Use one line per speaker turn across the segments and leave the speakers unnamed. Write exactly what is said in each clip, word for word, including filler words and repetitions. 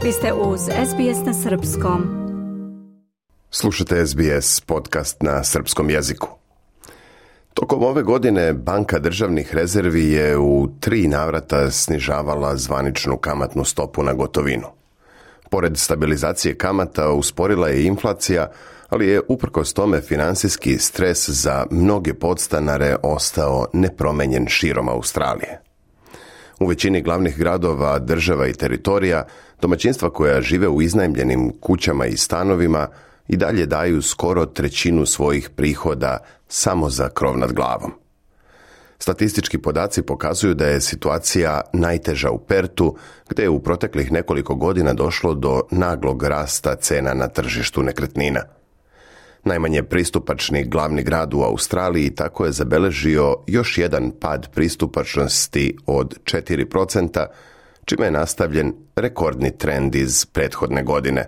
Vi ste uz S B S na srpskom.
Slušate S B S podcast na srpskom jeziku. Tokom ove godine Banka državnih rezervi je u tri navrata snižavala zvaničnu kamatnu stopu na gotovinu. Pored stabilizacije kamata usporila je inflacija, ali je uprkos tome finansijski stres za mnoge podstanare ostao nepromenjen širom Australije. U većini glavnih gradova, država i teritorija, domaćinstva koja žive u iznajmljenim kućama i stanovima i dalje daju skoro trećinu svojih prihoda samo za krov nad glavom. Statistički podaci pokazuju da je situacija najteža u Pertu, gdje je u proteklih nekoliko godina došlo do naglog rasta cena na tržištu nekretnina. Najmanje pristupačni glavni grad u Australiji tako je zabeležio još jedan pad pristupačnosti od četiri procenta, čime je nastavljen rekordni trend iz prethodne godine.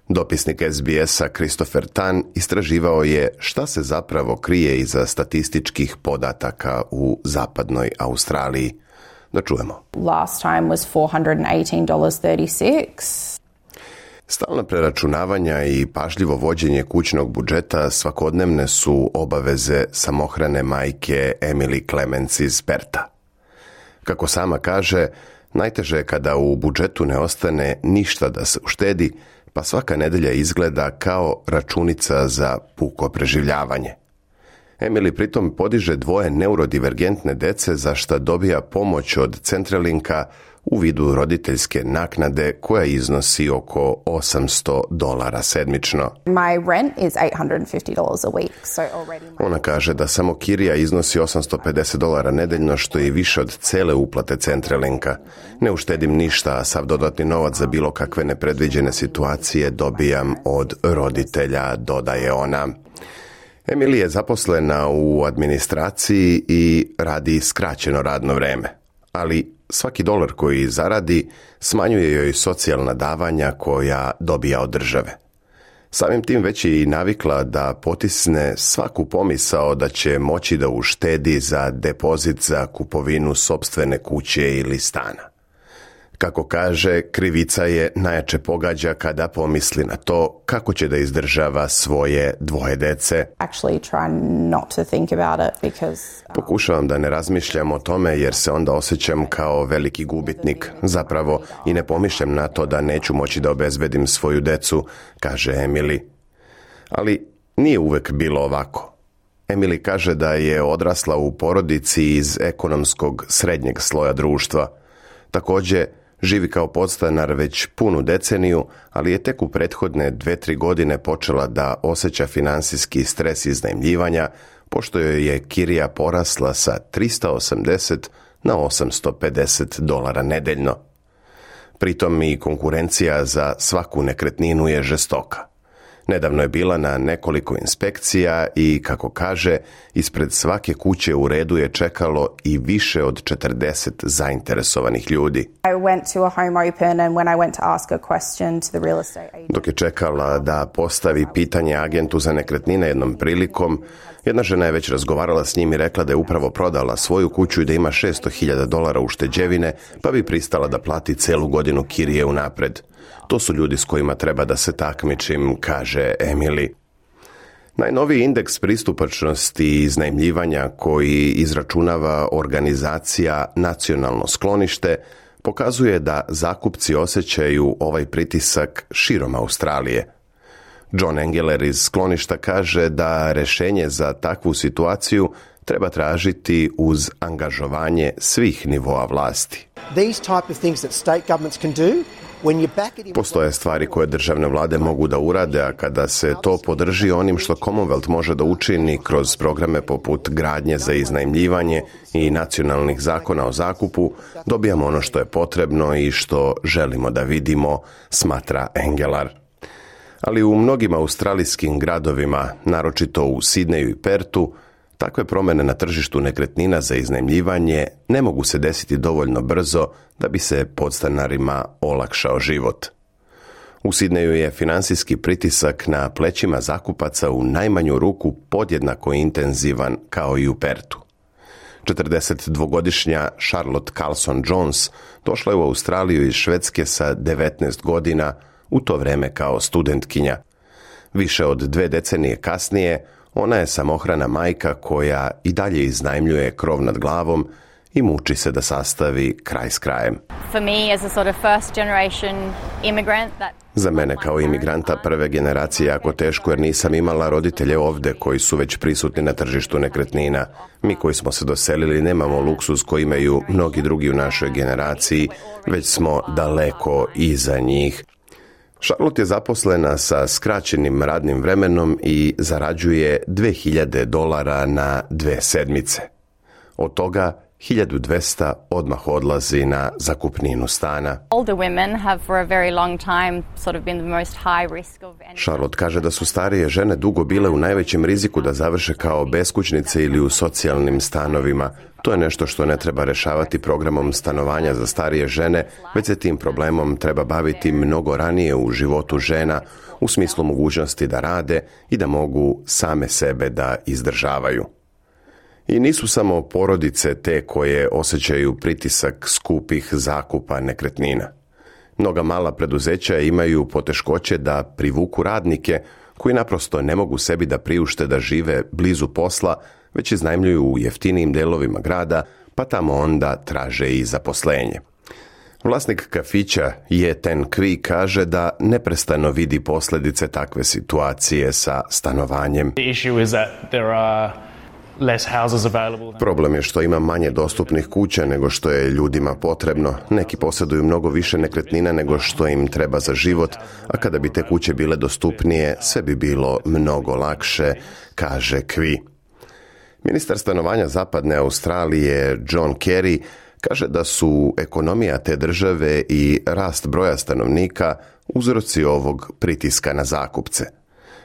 Dopisnik S B S-a Christopher Tan istraživao je šta se zapravo krije iza statističkih podataka u zapadnoj Australiji. Da čujemo.
Last time was four hundred eighteen dollars and thirty-six cents.
Stalna preračunavanja i pažljivo vođenje kućnog budžeta svakodnevne su obaveze samohrane majke Emily Clements iz Perta. Kako sama kaže, najteže je kada u budžetu ne ostane ništa da se uštedi, pa svaka nedelja izgleda kao računica za puko preživljavanje. Emily pritom podiže dvoje neurodivergentne dece za šta dobija pomoć od Centralinka u vidu roditeljske naknade koja iznosi oko osamsto dolara sedmično.
My rent is eight hundred fifty dollars a week, so already my...
Ona kaže da samo kirija iznosi osamsto pedeset dolara nedeljno, što je više od cele uplate Centralinka. Ne uštedim ništa, a sav dodatni novac za bilo kakve nepredviđene situacije dobijam od roditelja, dodaje ona. Emily je zaposlena u administraciji i radi skraćeno radno vreme, ali svaki dolar koji zaradi smanjuje joj socijalna davanja koja dobija od države. Samim tim već je i navikla da potisne svaku pomisao da će moći da uštedi za depozit za kupovinu sopstvene kuće ili stana. Kako kaže, krivica je najjače pogađa kada pomisli na to kako će da izdržava svoje dvoje dece.
Actually try not to think about it because
Pokušavam da ne razmišljam o tome jer se onda osjećam kao veliki gubitnik. Zapravo i ne pomišljam na to da neću moći da obezbedim svoju decu, kaže Emily. Ali nije uvek bilo ovako. Emily kaže da je odrasla u porodici iz ekonomskog srednjeg sloja društva. Također, živi kao podstanar već punu deceniju, ali je tek u prethodne dve, tri godine počela da osjeća finansijski stres iznajmljivanja, pošto joj je kirija porasla sa trista osamdeset na osamsto pedeset dolara nedeljno. Pritom i konkurencija za svaku nekretninu je žestoka. Nedavno je bila na nekoliko inspekcija i, kako kaže, ispred svake kuće u redu je čekalo i više od četrdeset zainteresovanih ljudi.
I went to a home open and when I went to ask a question to the real estate agent.
Dok je čekala da postavi pitanje agentu za nekretnine jednom prilikom, jedna žena je već razgovarala s njim i rekla da je upravo prodala svoju kuću i da ima šesto hiljada dolara ušteđevine, pa bi pristala da plati celu godinu kirije unapred. To su ljudi s kojima treba da se takmičim, kaže Emily. Najnoviji indeks pristupačnosti i iznajmljivanja koji izračunava organizacija Nacionalno sklonište pokazuje da zakupci osjećaju ovaj pritisak širom Australije. John Engeler iz skloništa kaže da rešenje za takvu situaciju treba tražiti uz angažovanje svih nivoa vlasti.
These type of things that state governments can do.
Postoje stvari koje državne vlade mogu da urade, a kada se to podrži onim što Commonwealth može da učini kroz programe poput gradnje za iznajmljivanje i nacionalnih zakona o zakupu, dobijamo ono što je potrebno i što želimo da vidimo, smatra Engelar. Ali u mnogim australijskim gradovima, naročito u Sidneju i Pertu, takve promjene na tržištu nekretnina za iznajmljivanje ne mogu se desiti dovoljno brzo da bi se podstanarima olakšao život. U Sidneju je finansijski pritisak na plećima zakupaca u najmanju ruku podjednako intenzivan kao i u Pertu. četrdesetdvogodišnja Charlotte Carlson Jones došla je u Australiju iz Švedske sa devetnaest godina, u to vreme kao studentkinja. Više od dve decenije kasnije, ona je samohrana majka koja i dalje iznajmljuje krov nad glavom i muči se da sastavi kraj s krajem.
For me as a sort of first generation immigrant that
Za mene kao imigranta prve generacije jako teško jer nisam imala roditelje ovde koji su već prisutni na tržištu nekretnina. Mi koji smo se doselili nemamo luksuz koji imaju mnogi drugi u našoj generaciji, već smo daleko iza njih. Charlotte je zaposlena sa skraćenim radnim vremenom i zarađuje dve hiljade dolara na dve sedmice. Od toga hiljadu dvesta odmah odlazi na zakupninu stana.
older women have for a very long time sort of been the most high risk of ending
Charlotte kaže da su starije žene dugo bile u najvećem riziku da završe kao beskućnice ili u socijalnim stanovima. To je nešto što ne treba rešavati programom stanovanja za starije žene, već se tim problemom treba baviti mnogo ranije u životu žena, u smislu mogućnosti da rade i da mogu same sebe da izdržavaju. I nisu samo porodice te koje osjećaju pritisak skupih zakupa nekretnina. Mnoga mala preduzeća imaju poteškoće da privuku radnike koji naprosto ne mogu sebi da priušte da žive blizu posla, već iznajmljuju u jeftinijim delovima grada, pa tamo onda traže i zaposlenje. Vlasnik kafića Ye Ten Kvi kaže da neprestano vidi posljedice takve situacije sa stanovanjem.
The issue is that there are less houses available.
Problem je što ima manje dostupnih kuća nego što je ljudima potrebno. Neki posjeduju mnogo više nekretnina nego što im treba za život, a kada bi te kuće bile dostupnije, sve bi bilo mnogo lakše, kaže Kvi. Ministar stanovanja Zapadne Australije John Kerry kaže da su ekonomija te države i rast broja stanovnika uzroci ovog pritiska na zakupce.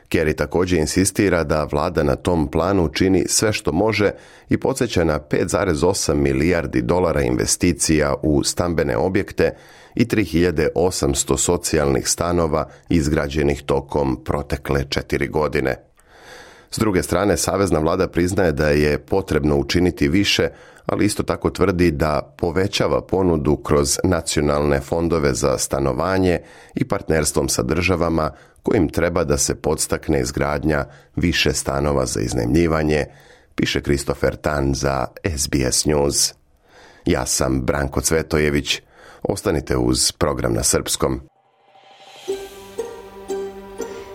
Kerry također insistira da vlada na tom planu čini sve što može i podsjeća na pet zarez osam milijardi dolara investicija u stambene objekte i tri hiljade osamsto socijalnih stanova izgrađenih tokom protekle četiri godine. S druge strane, savezna vlada priznaje da je potrebno učiniti više, ali isto tako tvrdi da povećava ponudu kroz nacionalne fondove za stanovanje i partnerstvom sa državama kojim treba da se podstakne izgradnja više stanova za iznajmljivanje, piše Christopher Tan za S B S News. Ja sam Branko Cvetojević. Ostanite uz program na srpskom.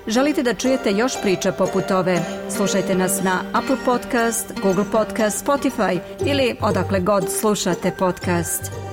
Želite da čujete još priča poput ove? Slušajte nas na Apple Podcast, Google Podcast, Spotify ili odakle god slušate podcast.